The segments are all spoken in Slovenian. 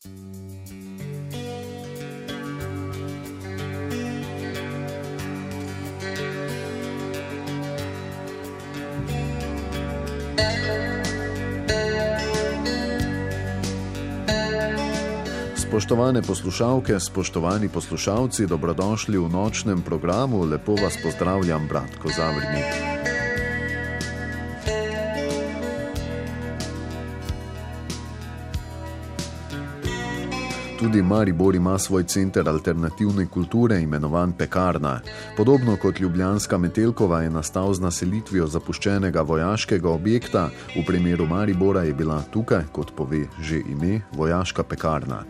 Spoštovane poslušalke, spoštovani poslušalci, dobrodošli v nočnem programu. Lepo vas pozdravljam, Bratko Zavrnik. Tudi Maribor ima svoj center alternativne kulture, imenovan Pekarna. Podobno kot ljubljanska Metelkova je nastal z naselitvijo zapuščenega vojaškega objekta, v primeru Maribora je bila tukaj, kot pove že ime, vojaška pekarna.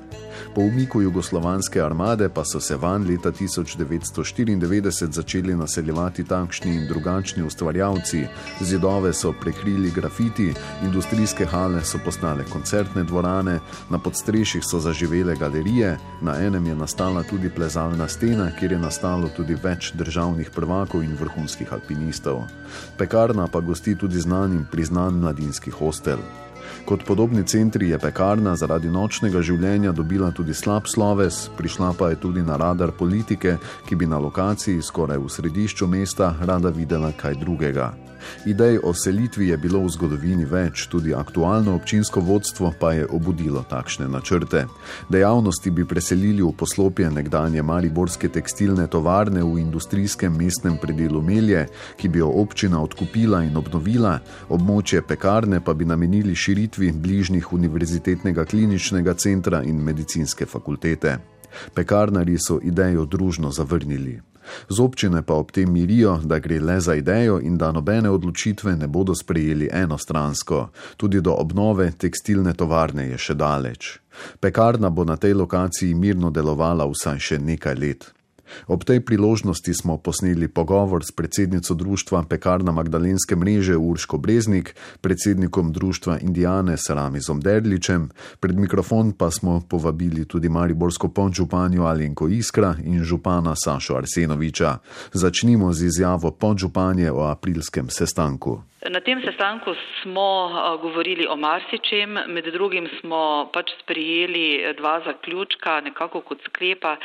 Po umiku jugoslovanske armade pa so se vanj leta 1994 začeli naseljevati takšni in drugačni ustvarjalci. Zidove so prekrili grafiti, industrijske hale so postale koncertne dvorane, na podstrešjih so zaživele galerije, na enem je nastala tudi plezalna stena, kjer je nastalo tudi več državnih prvakov in vrhunskih alpinistov. Pekarna pa gosti tudi znan in priznan mladinski hostel. Kot podobni centri je Pekarna zaradi nočnega življenja dobila tudi slab sloves, prišla pa je tudi na radar politike, ki bi na lokaciji skoraj v središču mesta rada videla kaj drugega. Idej o selitvi je bilo v zgodovini več, tudi aktualno občinsko vodstvo pa je obudilo takšne načrte. Dejavnosti bi preselili v poslopje nekdanje mariborske tekstilne tovarne v industrijskem mestnem predelu Melje, ki bi jo občina odkupila in obnovila, območje Pekarne pa bi namenili širitvi bližnjih univerzitetnega kliničnega centra in medicinske fakultete. Pekarnarji so idejo družno zavrnili. Z občine pa ob tem mirijo, da gre le za idejo in da nobene odločitve ne bodo sprejeli enostransko. Tudi do obnove tekstilne tovarne je še daleč. Pekarna bo na tej lokaciji mirno delovala vsaj še nekaj let. Ob tej priložnosti smo posneli pogovor s predsednico društva Pekarna Magdalenske mreže Urško Breznik, predsednikom društva Indiane Ramizom Derličem, pred mikrofon pa smo povabili tudi mariborsko podžupanjo Alenko Iskra in župana Sašo Arsenoviča. Začnimo z izjavo podžupanje o aprilskem sestanku. Na tem sestanku smo govorili o marsičem, med drugim smo sprejeli dva zaključka, nekako kot sklepa.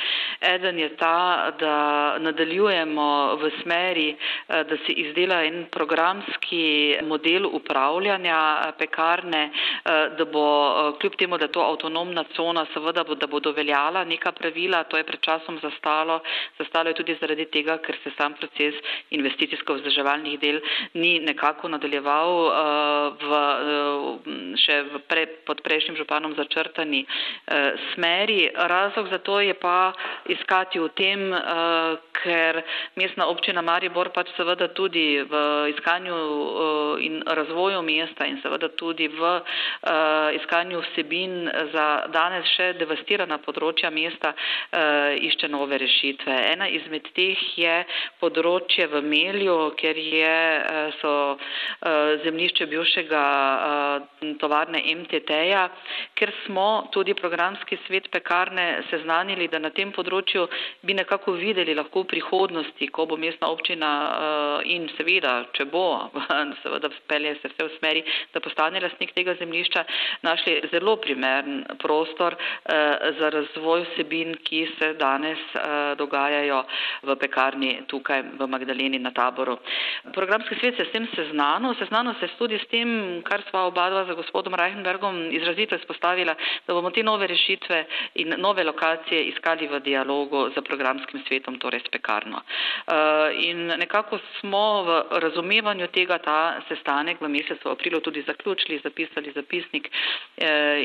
Eden je ta, da nadaljujemo v smeri, da se izdela en programski model upravljanja pekarne, da bo kljub temu, da je to avtonomna cona, seveda da bodo veljala neka pravila, to je pred časom zastalo. Zastalo je tudi zaradi tega, ker se sam proces investicijsko-vzdrževalnih del ni nekako nadaljeval pod prejšnjim županom začrtani smeri. Razlog za to je pa iskati v tem, ker mestna občina Maribor seveda tudi v iskanju in razvoju mesta in seveda tudi v iskanju vsebin za danes še devastirana področja mesta išče nove rešitve. Ena izmed teh je področje v Melju, kjer so zemljišče bivšega tovarne MTT-ja, ker smo tudi programski svet Pekarne seznanili, da na tem področju bi nekako videli lahko v prihodnosti, ko bo mestna občina in seveda, če bo, seveda pelje se vse v smeri, da postane lastnik tega zemljišča, našli zelo primeren prostor za razvoj vsebin, ki se danes dogajajo v Pekarni tukaj v Magdaleni na Taboru. Programski svet se s tem seznanil se tudi s tem, kar sva obadva za gospodom Reichenbergom izrazito izpostavila, da bomo te nove rešitve in nove lokacije iskali v dialogu z programskim svetom, torej s Pekarno. In nekako smo v razumevanju tega ta sestanek v mesecu aprilu tudi zaključili, zapisali zapisnik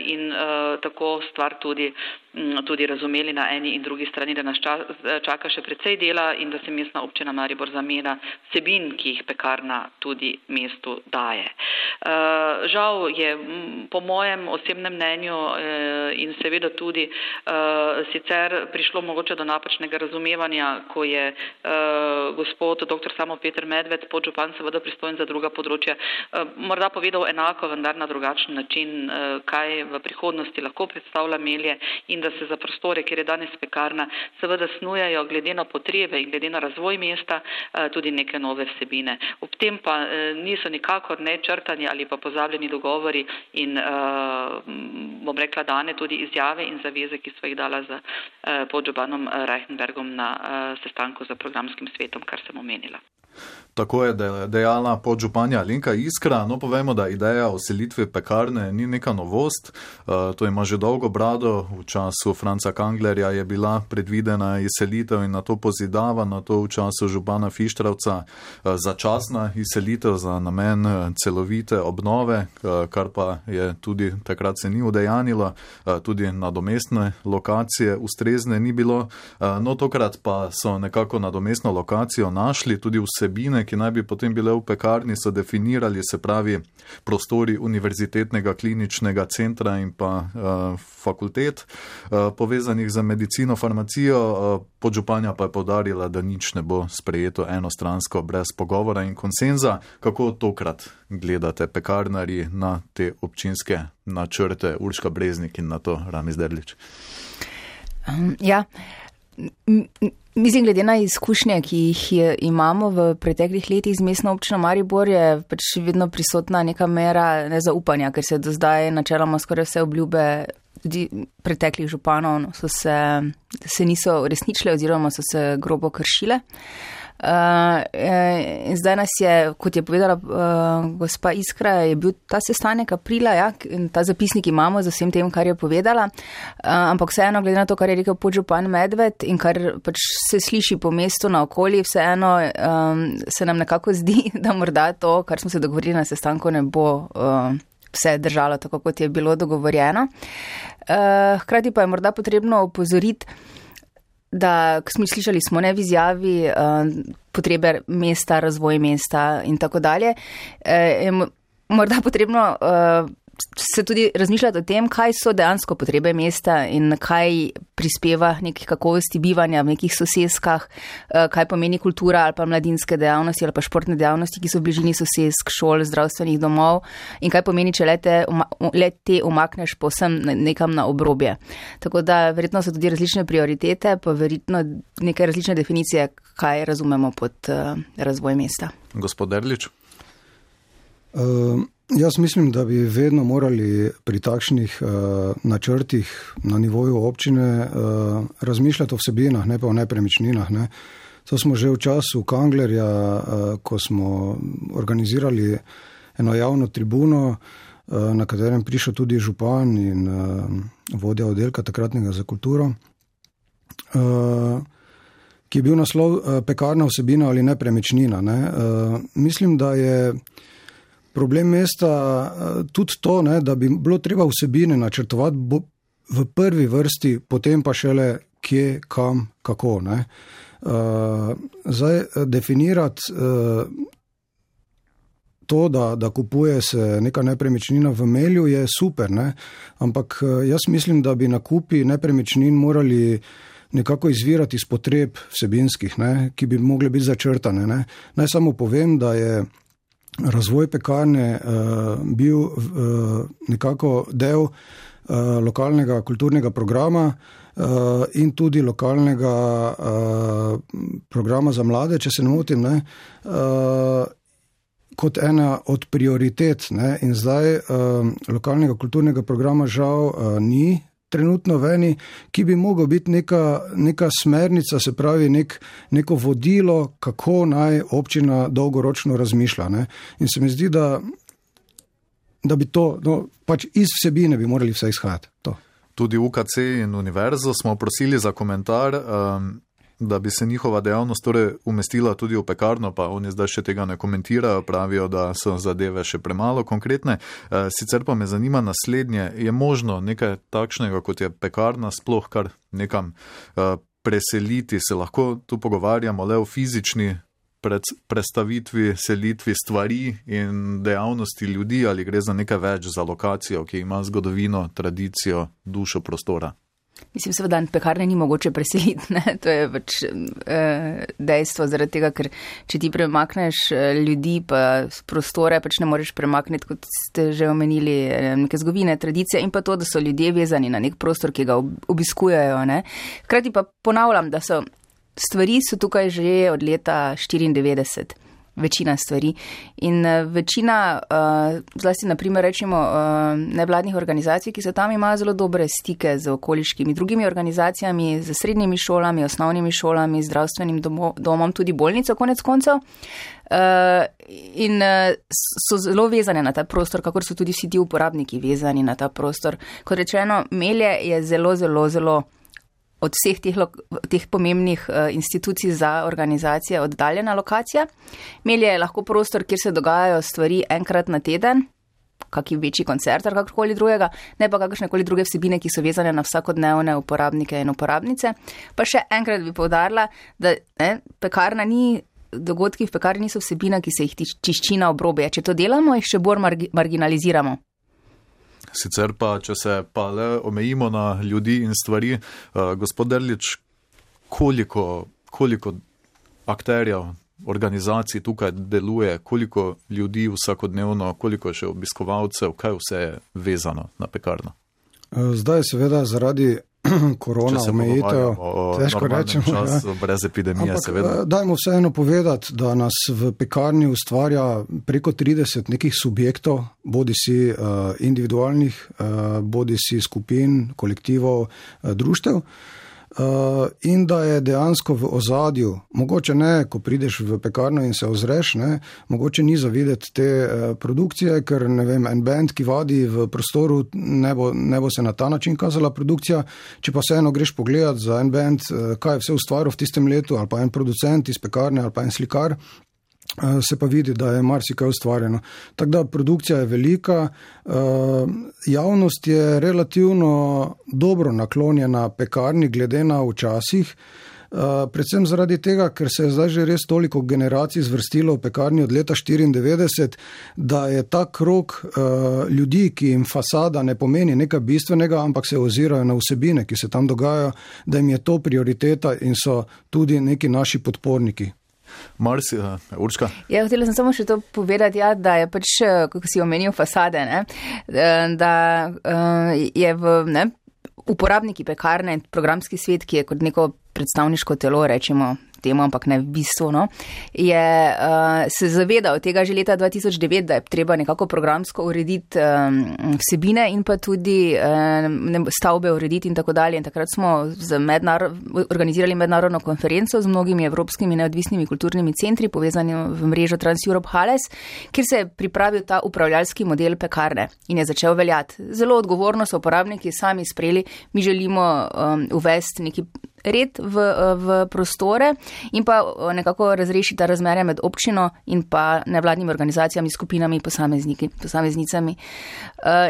in tako stvar tudi razumeli na eni in drugi strani, da nas čaka še precej dela in da se mestna občina Maribor zameda vsebin, ki jih Pekarna tudi mestu daje. Žal je po mojem osebnem mnenju in seveda tudi sicer prišlo mogoče do napačnega razumevanja, ko je gospod dr. Samo Peter Medved, podžupan seveda pristojen za druga področja, morda povedal enako, vendar na drugačen način, kaj v prihodnosti lahko predstavlja Melje in da se za prostore, kjer je danes Pekarna, seveda snujajo glede na potrebe in glede na razvoj mesta tudi neke nove vsebine. Ob tem pa niso nikakor ne črtani ali pa pozabljeni dogovori in bom rekla, dane tudi izjave in zaveze, ki so jih dala z podžupanom Reichenbergom na sestanku z programskim svetom, kar sem omenila. Tako je dejala podžupanja Alenka Iskra. No, povemo, da ideja o selitvi pekarne ni neka novost. To ima že dolgo brado. V času Franca Kanglerja je bila predvidena izselitev in na to pozidava, na to v času župana Fištravca začasna izselitev za namen celovite obnove, kar pa je tudi takrat se ni udejanilo. Tudi nadomestne lokacije ustrezne ni bilo. No, tokrat pa so nekako nadomestno lokacijo našli, tudi vsebine, ki naj bi potem bile v pekarni, so definirali, se pravi prostori Univerzitetnega kliničnega centra in pa fakultet povezanih za medicino, farmacijo. Podžupanja pa je poudarila, da nič ne bo sprejeto enostransko brez pogovora in konsenza. Kako tokrat gledate pekarnarji na te občinske načrte, Urška Breznik in na to Rami Zderlič? Ja, mislim, glede na izkušnje, ki jih imamo v preteklih letih z mestno občino Maribor, je pač vedno prisotna neka mera nezaupanja, ker se do zdaj načeloma skoraj vse obljube tudi preteklih županov se niso uresničile oziroma so se grobo kršile. In zdaj nas je, kot je povedala gospa Iskra, je bil ta sestanek aprila, ja, in ta zapisnik imamo z vsem tem, kar je povedala, ampak vseeno, glede na to, kar je rekel podžupan Medved in kar pač se sliši po mestu na okolji, vseeno se nam nekako zdi, da morda to, kar smo se dogovorili na sestanku, ne bo vse držalo tako, kot je bilo dogovorjeno. Hkrati pa je morda potrebno opozoriti, da smo slišali smo v izjavi potrebe mesta, razvoj mesta in tako dalje. Je morda potrebno se tudi razmišljati o tem, kaj so dejansko potrebe mesta in kaj prispeva nekih kakovosti bivanja v nekih soseskah, kaj pomeni kultura ali pa mladinske dejavnosti ali pa športne dejavnosti, ki so v bližini sosesk, šol, zdravstvenih domov in kaj pomeni, če le te umakneš povsem nekam na obrobje. Tako da verjetno so tudi različne prioritete, pa verjetno neke različne definicije, kaj razumemo pod razvoj mesta. Gospod Derlič? Jaz mislim, da bi vedno morali pri takšnih načrtih na nivoju občine razmišljati o vsebinah, ne pa o nepremičninah. Ne. To smo že v času Kanglerja, ko smo organizirali eno javno tribuno, na katerem prišel tudi župan in vodja oddelka takratnega za kulturo, ki je bil naslov pekarna vsebina ali nepremičnina. Ne. Mislim, da je problem mesta tudi to, ne, da bi bilo treba vsebine načrtovati v prvi vrsti, potem pa šele kje, kam, kako. Ne. Zdaj definirati to, da kupuje se neka nepremičnina v Melju, je super, ne. Ampak jaz mislim, da bi nakupi nepremičnin morali nekako izvirati iz potreb vsebinskih, ne, ki bi mogle biti začrtane. Ne. Naj samo povem, da je razvoj pekarne bil nekako del lokalnega kulturnega programa in tudi lokalnega programa za mlade, če se ne motim, ne, kot ena od prioritet. Ne, in zdaj lokalnega kulturnega programa žal ni trenutno veni, ki bi mogel biti neka smernica, se pravi neko vodilo, kako naj občina dolgoročno razmišlja. Ne. In se mi zdi, da bi to, pač iz vsebine bi morali vse izhajati. To. Tudi UKC in univerzo smo prosili za komentar, da bi se njihova dejavnost torej umestila tudi v pekarno, pa oni zdaj še tega ne komentirajo, pravijo, da so zadeve še premalo konkretne. Sicer pa me zanima naslednje, je možno nekaj takšnega, kot je pekarna, sploh kar nekam preseliti? Se lahko tu pogovarjamo le o fizični prestavitvi, selitvi stvari in dejavnosti ljudi, ali gre za nekaj več, za lokacijo, ki ima zgodovino, tradicijo, dušo prostora? Mislim, seveda, pekarne ni mogoče preseliti, ne? To je pač dejstvo, zaradi tega, ker če ti premakneš ljudi pa prostore, pač ne moreš premakniti, kot ste že omenili, neke zgodovine, tradicije in pa to, da so ljudje vezani na nek prostor, ki ga obiskujejo. Ne? Hkrati pa ponavljam, da so stvari tukaj že od leta 1994. večina stvari. In večina, zlasti naprimer rečemo, nevladnih organizacij, ki so tam, imajo zelo dobre stike z okoliškimi drugimi organizacijami, z srednjimi šolami, osnovnimi šolami, zdravstvenim domom, tudi bolnico konec koncev. In so zelo vezane na ta prostor, kakor so tudi vsi ti uporabniki vezani na ta prostor. Kot rečeno, Melje je zelo, zelo, zelo od vseh teh pomembnih institucij za organizacije oddaljena lokacija. Melje je lahko prostor, kjer se dogajajo stvari enkrat na teden, kakšen večji koncert ali kakorkoli drugega, ne pa kakršnekoli druge vsebine, ki so vezane na vsakodnevne uporabnike in uporabnice. Pa še enkrat bi poudarila, da pekarna ni, dogodki v pekarni niso vsebina, ki se jih tiščina obrobje. Če to delamo, jih še bolj marginaliziramo. Sicer pa, če se pa le omejimo na ljudi in stvari, gospod Derlič, koliko akterjev, organizacij tukaj deluje, koliko ljudi vsakodnevno, koliko še obiskovalcev, kaj vse je vezano na pekarno? Zdaj seveda zaradi korona omejitev, težko rečemo. Čas, brez epidemije, ampak, seveda. Dajmo vseeno povedati, da nas v pekarni ustvarja preko 30 nekih subjektov, bodi si individualnih, bodi si skupin, kolektivov, društev. In da je dejansko v ozadju, mogoče ne, ko prideš v pekarno in se ozreš, ne, mogoče ni zavideti te produkcije, ker ne vem, en band, ki vadi v prostoru, ne bo se na ta način kazala produkcija, če pa vseeno greš pogledat za en band, kaj je vse ustvaril v tistem letu, ali pa en producent iz pekarne, ali pa en slikar, se pa vidi, da je marsikaj ustvarjeno. Tako da produkcija je velika, javnost je relativno dobro naklonjena pekarni glede na včasih, predvsem zaradi tega, ker se je zdaj že res toliko generacij zvrstilo v pekarni od leta 1994, da je ta krog ljudi, ki jim fasada ne pomeni nekaj bistvenega, ampak se ozirajo na vsebine, ki se tam dogajajo, da jim je to prioriteta in so tudi neki naši podporniki. Marsi, Urška? Ja, hotela sem samo še to povedati, da je pač, kako si omenil, fasade, ne? Da je uporabniki pekarne in programski svet, ki je kot neko predstavniško telo, rečemo temu, ampak ne v bistvu, no, je se zavedal tega že leta 2009, da je treba nekako programsko urediti vsebine in pa tudi stavbe urediti in tako dalje. In takrat smo organizirali mednarodno konferenco z mnogimi evropskimi neodvisnimi kulturnimi centri, povezani v mrežo Trans-Europe Halles, kjer se je pripravil ta upravljalski model pekarne in je začel veljati. Zelo odgovorno so uporabniki sami sprejeli, mi želimo uvesti neki red v prostore in pa nekako razrešiti ta razmerja med občino in pa nevladnimi organizacijami, skupinami, posameznicami.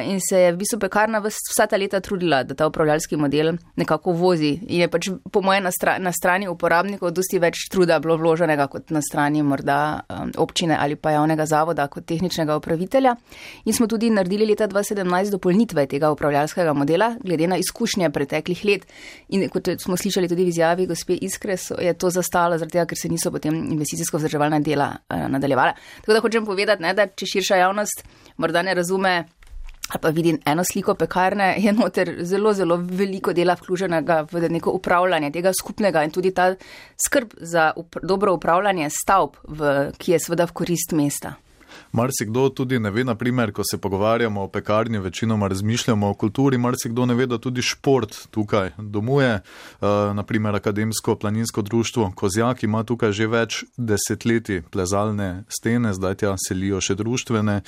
In se je v bistvu pekarna vsa ta leta trudila, da ta upravljalski model nekako vozi. In je pač po moje na strani uporabnikov dosti več truda bilo vloženega kot na strani morda občine ali pa javnega zavoda kot tehničnega upravitelja. In smo tudi naredili leta 2017 dopolnitve tega upravljalskega modela glede na izkušnje preteklih let. In kot smo slišali tudi v izjavi gospe Iskre, je to zastalo zaradi tega, ker se niso potem investicijsko vzdrževalna dela nadaljevala. Tako da hočem povedati, da če širša javnost morda ne razume ali pa vidi eno sliko pekarne, je noter zelo, zelo veliko dela vključenega v neko upravljanje tega skupnega in tudi ta skrb za dobro upravljanje stavb, ki je seveda v korist mesta. Marsikdo tudi ne ve, naprimer, ko se pogovarjamo o pekarni, večinoma razmišljamo o kulturi, marsikdo ne ve, da tudi šport tukaj domuje. Naprimer, Akademsko planinsko društvo Kozjak ima tukaj že več desetletij plezalne stene, zdaj tja selijo še društvene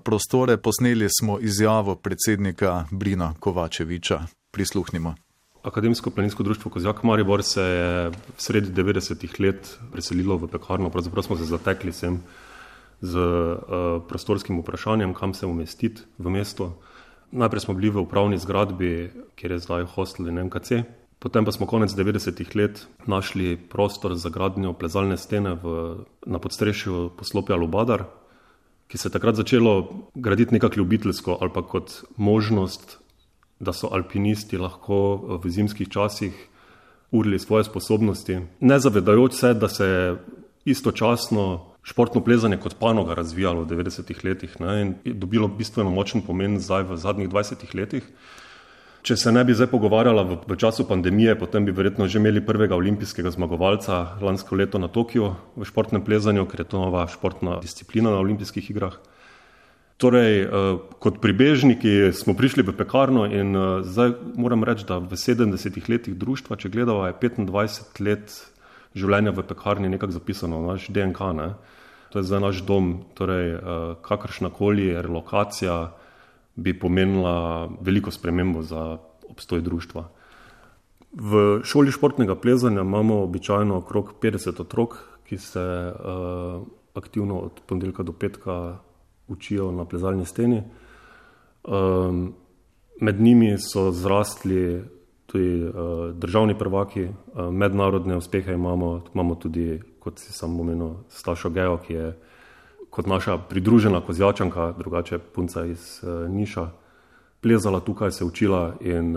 prostore. Posneli smo izjavo predsednika Brina Kovačeviča. Prisluhnimo. Akademsko planinsko društvo Kozjak Maribor se je v sredi 90-ih let preselilo v pekarno, pravzaprav smo se zatekli sem z prostorskim vprašanjem, kam se umestiti v mesto. Najprej smo bili v upravni zgradbi, kjer je zdaj hostel in MKC. Potem pa smo konec 90-ih let našli prostor za gradnjo plezalne stene na podstrešju poslopja Lubadar, ki se je takrat začelo graditi nekako ljubiteljsko ali pa kot možnost, da so alpinisti lahko v zimskih časih urili svoje sposobnosti. Ne zavedajoč se, da se je istočasno športno plezanje kot panoga razvijalo v 90-ih letih, ne, in je dobilo bistveno močen pomen zdaj v zadnjih 20 letih. Če se ne bi zdaj pogovarjala v času pandemije, potem bi verjetno že imeli prvega olimpijskega zmagovalca lansko leto na Tokiu v športnem plezanju, ker je to nova športna disciplina na olimpijskih igrah. Torej, kot pribežniki smo prišli v pekarno in zdaj moram reči, da v 70 letih društva, če gledava, je 25 let življenja v pekarni nekako zapisano v naš DNK. Ne? To je zdaj naš dom, torej kakršnakoli relokacija bi pomenila veliko spremembo za obstoj društva. V šoli športnega plezanja imamo običajno okrog 50 otrok, ki se aktivno od ponedeljka do petka učijo na plezalni steni. Med njimi so zrastli tudi državni prvaki, mednarodne uspehe imamo tudi, kot si sam omenil, Stašo Gejo, ki je kot naša pridružena kozjačanka, drugače punca iz Niša, plezala tukaj, se učila in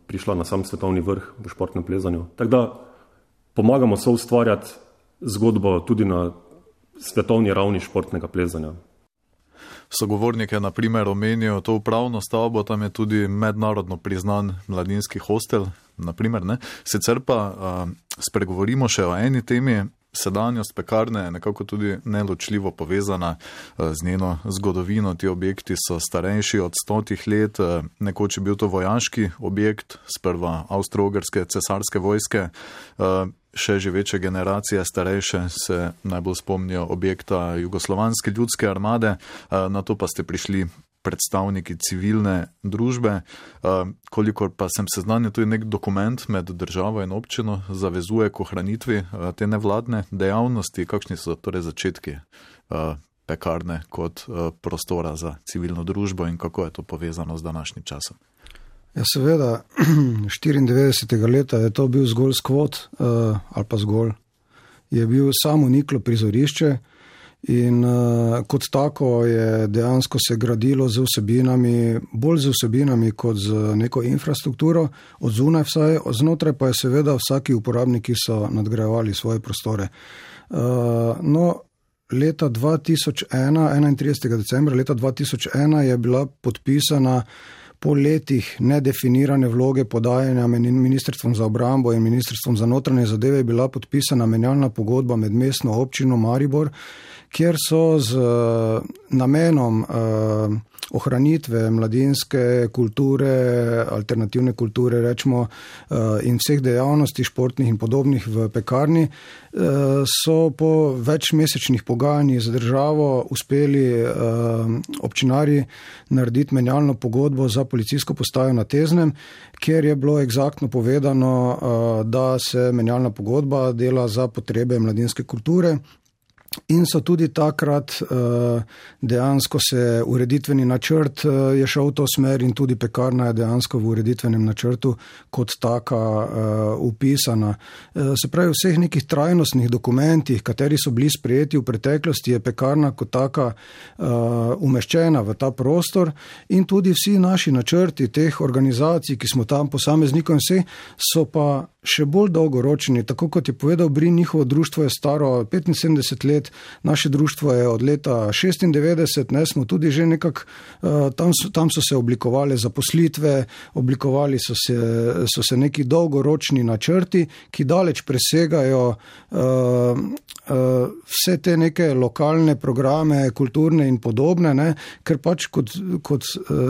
prišla na sam svetovni vrh v športnem plezanju. Tako da pomagamo soustvarjati zgodbo tudi na svetovni ravni športnega plezanja. Sogovornike na primer omenijo to upravno stavbo, tam je tudi mednarodno priznan mladinski hostel, na primer, ne? Sicer pa spregovorimo še o eni temi. Sedanjost pekarne je nekako tudi neločljivo povezana z njeno zgodovino. Ti objekti so starejši od 100 let, nekoč je bil to vojaški objekt, sprva avstro-ogrske cesarske vojske, še živeče generacije starejše se najbolj spomnijo objekta Jugoslovanske ljudske armade, na to pa ste prišli predstavniki civilne družbe. Kolikor pa sem seznanjen, to je nek dokument med državo in občino, zavezuje k ohranitvi te nevladne dejavnosti. Kakšni so torej začetki pekarne kot prostora za civilno družbo in kako je to povezano z današnjim časom? Ja, seveda, 94. leta je to bil zgolj skvot, ali pa zgolj, je bil samo niklo prizorišče. In kot tako je dejansko se gradilo z vsebinami, bolj z vsebinami kot z neko infrastrukturo, od zunaj vsaj, znotraj pa je seveda vsaki uporabniki so nadgrajevali svoje prostore. No, leta 2001, 31. decembra leta 2001 je bila podpisana po letih nedefinirane vloge podajanja Ministrstvom za obrambo in Ministrstvom za notranje zadeve je bila podpisana menjalna pogodba med mestno občino Maribor, kjer so z namenom ohranitve mladinske kulture, alternativne kulture, rečemo, in vseh dejavnosti športnih in podobnih v pekarni, so po večmesečnih pogajanjih z državo uspeli občinarji narediti menjalno pogodbo za policijsko postajo na Teznem, kjer je bilo eksaktno povedano, da se menjalna pogodba dela za potrebe mladinske kulture. In so tudi takrat dejansko se ureditveni načrt je šel v to smer in tudi pekarna je dejansko v ureditvenem načrtu kot taka upisana. Se pravi, v vseh nekih trajnostnih dokumentih, kateri so bili sprejeti v preteklosti, je pekarna kot taka umeščena v ta prostor in tudi vsi naši načrti teh organizacij, ki smo tam posameznikom in vse, so pa še bolj dolgoročni. Tako kot je povedal Brin, njihovo društvo je staro 75 let, naše društvo je od leta 96, ne, smo tudi že nekako, tam so se oblikovali zaposlitve, oblikovali so se neki dolgoročni načrti, ki daleč presegajo vse te neke lokalne programe, kulturne in podobne, ne, ker pač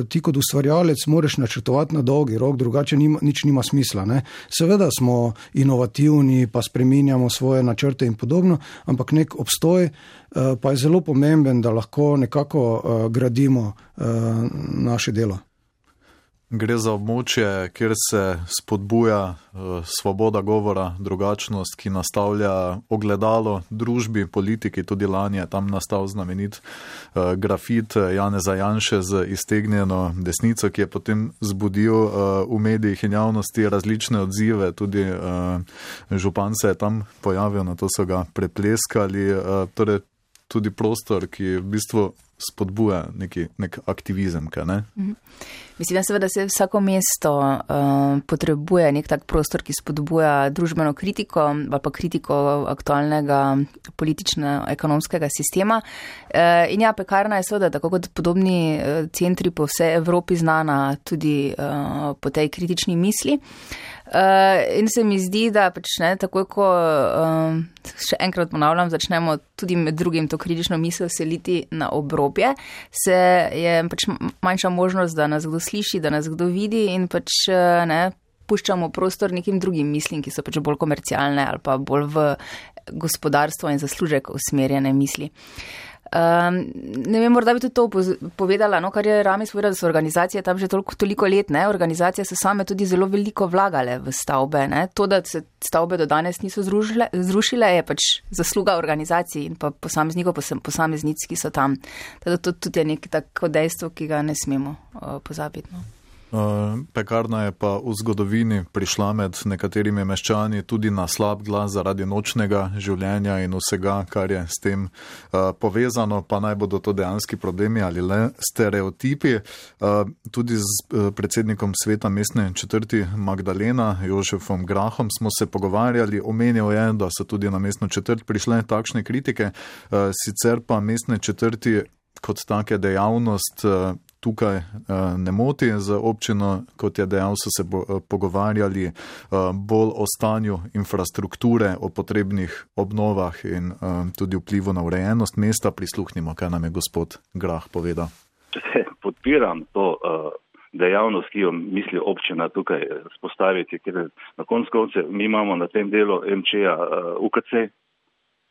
ti kot ustvarjalec moraš načrtovati na dolgi rok, drugače nič nima smisla. Ne. Seveda smo inovativni, pa spreminjamo svoje načrte in podobno, ampak nek obstoj pa je zelo pomemben, da lahko nekako gradimo naše delo. Gre za območje, kjer se spodbuja svoboda govora, drugačnost, ki nastavlja ogledalo družbi, politiki. Tudi lani je tam nastal znamenit grafit Janeza Janše z iztegnjeno desnico, ki je potem zbudil v medijih in javnosti različne odzive. Tudi župan se je tam pojavil, na to so ga prepleskali. Torej tudi prostor, ki v bistvu spodbuja nek aktivizem, kaj ne? Mislim, seveda se vsako mesto potrebuje nek tak prostor, ki spodbuja družbeno kritiko ali pa kritiko aktualnega politično-ekonomskega sistema. In ja, Pekarna je seveda, tako kot podobni centri po vsej Evropi, znana tudi po tej kritični misli. In se mi zdi, da pač ne, takoj ko, še enkrat ponavljam, začnemo tudi med drugim to kritično misel seliti na obrobje, se je pač manjša možnost, da nas kdo sliši, da nas kdo vidi in pač ne, puščamo prostor nekim drugim mislim, ki so pač bolj komercialne ali pa bolj v gospodarstvo in zaslužek usmerjene misli. Ne vem, morda bi tudi to povedala, no, kar je Ramis povedal, da so organizacije tam že toliko let, ne, organizacije so same tudi zelo veliko vlagale v stavbe, ne, to, da se stavbe do danes niso zrušile, je pač zasluga organizacij in pa posameznikov, posameznic, ki so tam. Teda to tudi je neko tako dejstvo, ki ga ne smemo pozabiti, no. Pekarna je pa v zgodovini prišla med nekaterimi meščani tudi na slab glas zaradi nočnega življenja in vsega, kar je s tem povezano, pa naj bodo to dejanski problemi ali le stereotipi. Tudi z predsednikom sveta mestne četrti Magdalena Jožefom Grahom smo se pogovarjali, omenil je, da so tudi na mestno četrt prišle takšne kritike, sicer pa mestne četrti kot take dejavnost tukaj ne moti. Z občino, kot je dejal, so se pogovarjali bolj o stanju infrastrukture, o potrebnih obnovah in tudi vplivu na urejenost mesta. Prisluhnimo, kaj nam je gospod Grah povedal. Podpiram to dejavnost, ki jo misli občina tukaj spostaviti, ker na koncu mi imamo na tem delu MČ-ja UKC,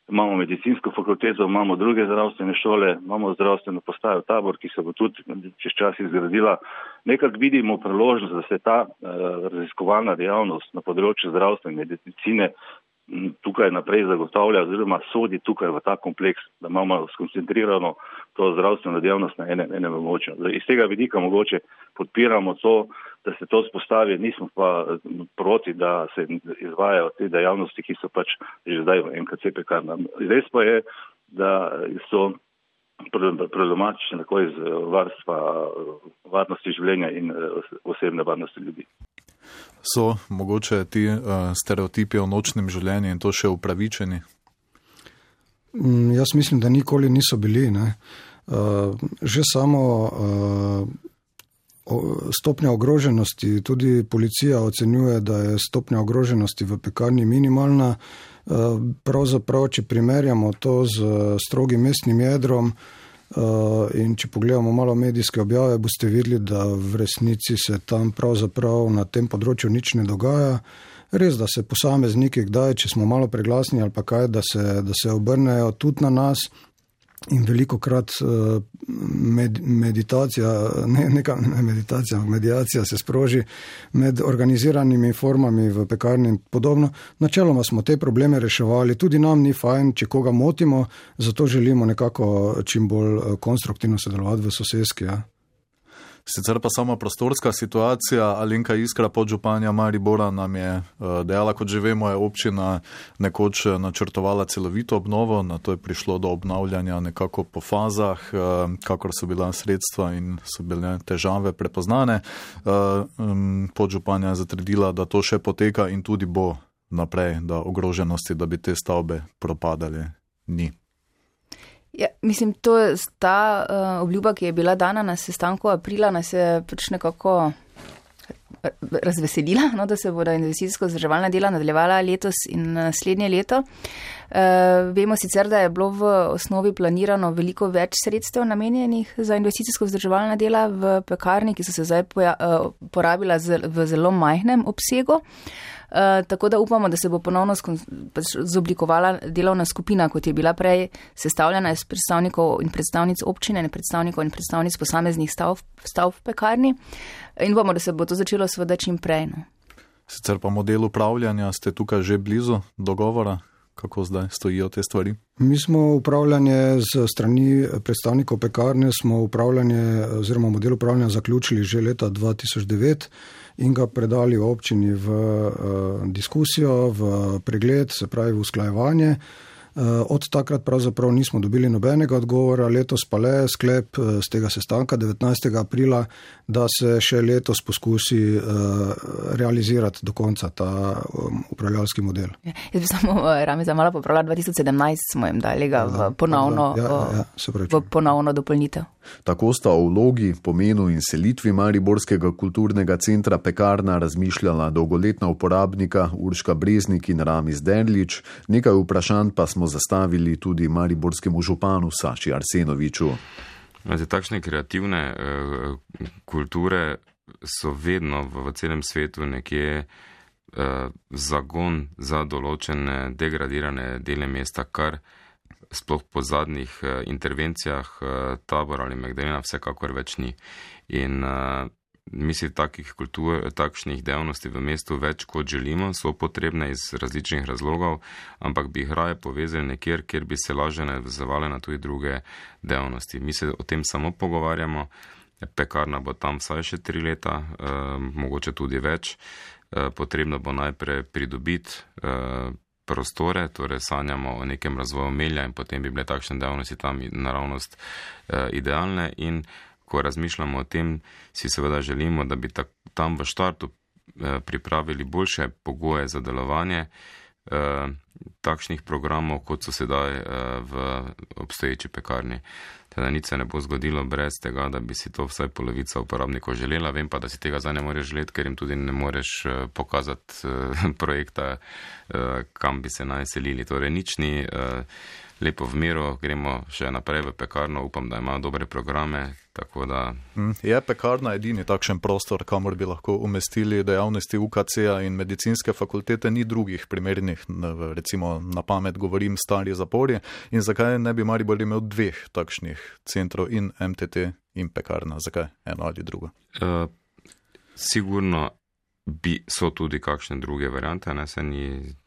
imamo medicinsko fakulteto, imamo druge zdravstvene šole, imamo zdravstveno postajo Tabor, ki se bo tudi čez čas izgradila. Nekako vidimo priložnost, da se ta raziskovalna dejavnost na področju zdravstvene medicine tukaj naprej zagotavlja oziroma sodi tukaj v ta kompleks, da imamo skoncentrirano to zdravstveno dejavnost na enem območju. Iz tega vidika mogoče podpiramo to, da se to spostavi, nismo pa proti, da se izvajajo te dejavnosti, ki so pač že zdaj v MKC Pekarna. Res pa je, da so problematične tako iz varnosti življenja in osebne varnosti ljudi. So mogoče ti stereotipi o nočnem življenju in to še upravičeni? Jaz mislim, da nikoli niso bili, ne. Že samo stopnja ogroženosti, tudi policija ocenjuje, da je stopnja ogroženosti v Pekarni minimalna. Pravzaprav, če primerjamo to z strogim mestnim jedrom in če pogledamo malo medijske objave, boste videli, da v resnici se tam pravzaprav na tem področju nič ne dogaja. Res, da se posamezniki kdaj, če smo malo preglasni ali pa kaj, da se obrnejo tudi na nas. In velikokrat medijacija se sproži med organiziranimi formami v Pekarni in podobno. Načeloma smo te probleme reševali, tudi nam ni fajn, če koga motimo, zato želimo nekako čim bolj konstruktivno sodelovati v soseski. Ja. Sicer pa sama prostorska situacija, Alenka Iskra, podžupanja Maribora, nam je dejala, kot že vemo, je občina nekoč načrtovala celovito obnovo, na to je prišlo do obnavljanja nekako po fazah, kakor so bila sredstva in so bile težave prepoznane. Podžupanja je zatrdila, da to še poteka in tudi bo naprej, da ogroženosti, da bi te stavbe propadale, ni. Ja, mislim, to je ta obljuba, ki je bila dana na sestanku aprila, nas je pač nekako razveselila, no, da se bodo investicijsko vzdrževalna dela nadaljevala letos in naslednje leto. Vemo sicer, da je bilo v osnovi planirano veliko več sredstev namenjenih za investicijsko vzdrževalna dela v Pekarni, ki so se zdaj porabila v zelo majhnem obsegu. Tako da upamo, da se bo ponovno zoblikovala delovna skupina, kot je bila prej sestavljena iz predstavnikov in predstavnic občine, predstavnikov in predstavnic posameznih stavb v Pekarni in upamo, da se bo to začelo seveda čim prej. No. Sicer pa model upravljanja, ste tukaj že blizu dogovora? Kako zdaj stojijo te stvari? Mi smo upravljanje z strani predstavnikov Pekarne, smo upravljanje oziroma model upravljanja zaključili že leta 2009 in ga predali občini v diskusijo, v pregled, se pravi v usklajevanje. Od takrat pravzaprav nismo dobili nobenega odgovora, letos pa le sklep z tega sestanka 19. aprila, da se še letos poskusi realizirati do konca ta upravljalski model. Jaz bi samo Rami zamala popravila, 2017 smo jim dali ga v ponovno dopolnitev. Tako sta o vlogi, pomenu in selitvi mariborskega kulturnega centra Pekarna razmišljala dolgoletna uporabnika Urška Breznik in Rami Zderlič, nekaj vprašanj pa smo zastavili tudi mariborskemu županu Saši Arsenoviču. Takšne kreativne kulture so vedno v celem svetu nekje zagon za določene degradirane dele mesta, kar sploh po zadnjih intervencijah Tabor ali Magdalena vsekakor več ni. In mislim, takšnih dejavnosti v mestu več kot želimo, so potrebne iz različnih razlogov, ampak bi jih raje povezali nekjer, kjer bi se lažje navezovali na tudi druge dejavnosti. Mi se o tem samo pogovarjamo, Pekarna bo tam vsaj še 3 leta, mogoče tudi več. Potrebno bo najprej pridobiti prostore, torej sanjamo o nekem razvoju Melja in potem bi bile takšne dejavnosti tam naravnost idealne in ko razmišljamo o tem, si seveda želimo, da bi tam v štartu pripravili boljše pogoje za delovanje takšnih programov, kot so sedaj v obstoječi pekarni. Teda nič se ne bo zgodilo brez tega, da bi si to vsaj polovica uporabnikov želela. Vem pa, da si tega zdaj ne moreš želeti, ker jim tudi ne moreš pokazati projekta, kam bi se naj selili. Torej nič ni lepo v miru, gremo še naprej v pekarno, upam, da imajo dobre programe, tako da... Je pekarna edini takšen prostor, kamor bi lahko umestili dejavnosti UKC-a in medicinske fakultete, ni drugih primernih, recimo na pamet govorim stari zapori, in zakaj ne bi Maribor imel 2 takšnih centrov in MTT in pekarna, zakaj eno ali drugo? Sigurno so tudi kakšne druge variante, se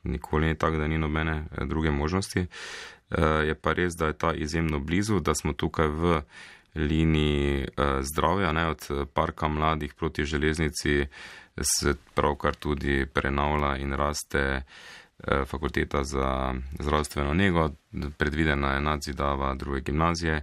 nikoli ni tako, da ni nobene druge možnosti. Je pa res, da je ta izjemno blizu, da smo tukaj v liniji zdravja, od parka mladih proti železnici se pravkar tudi prenavlja in raste fakulteta za zdravstveno nego, predvidena je nadzidava 2. gimnazije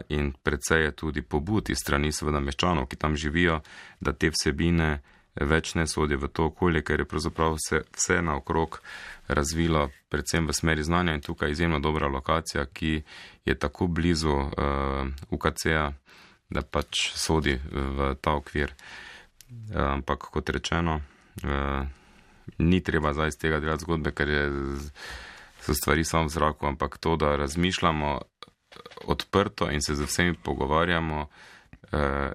in precej je tudi pobud iz strani seveda meščanov, ki tam živijo, da te vsebine več ne sodijo v to okolje, ker je pravzaprav vse naokrog razvilo, predvsem v smeri znanja in tukaj izjemno dobra lokacija, ki je tako blizu UKC-a, da pač sodi v ta okvir. Ampak kot rečeno, ni treba zdaj iz tega delati zgodbe, ker so stvari samo v zraku, ampak to, da razmišljamo odprto in se z vsemi pogovarjamo,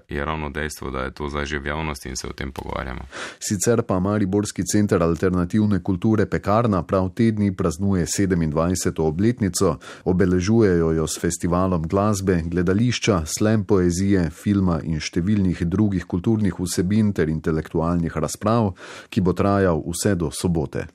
je ravno dejstvo, da je to zdaj že v javnosti in se o tem pogovarjamo. Sicer pa Mariborski center alternativne kulture Pekarna prav te dni praznuje 27. obletnico, obeležujejo jo s festivalom glasbe, gledališča, slam poezije, filma in številnih drugih kulturnih vsebin ter intelektualnih razprav, ki bo trajal vse do sobote.